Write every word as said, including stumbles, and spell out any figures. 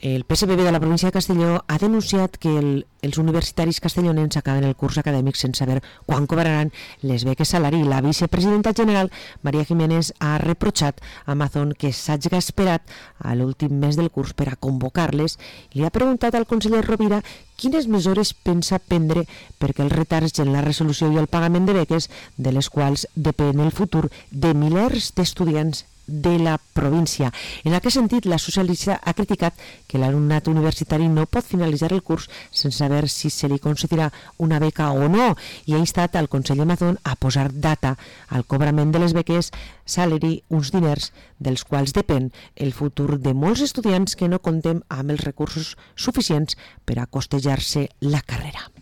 El P S B B de la província de Castelló ha denunciat que el, els universitaris castellonencs acaben el curs acadèmic sense saber quan cobraran les beques salari. La vicepresidenta general, Maria Jiménez, ha reprotxat a Amazon que s'hagi esperat a l'últim mes del curs per a convocar-les i li ha preguntat al conseller Rovira quines mesures pensa prendre perquè els retards en la resolució i el pagament de beques, de les quals depèn el futur de milers d'estudiants de la província. En aquest sentit, la socialista ha criticat que l'alumnat universitari no pot finalitzar el curs sense saber si se li concedirà una beca o no i ha instat al Consell Amazon a posar data al cobrament de les beques salari, uns diners dels quals depèn el futur de molts estudiants que no compten amb els recursos suficients per a costejar-se la carrera.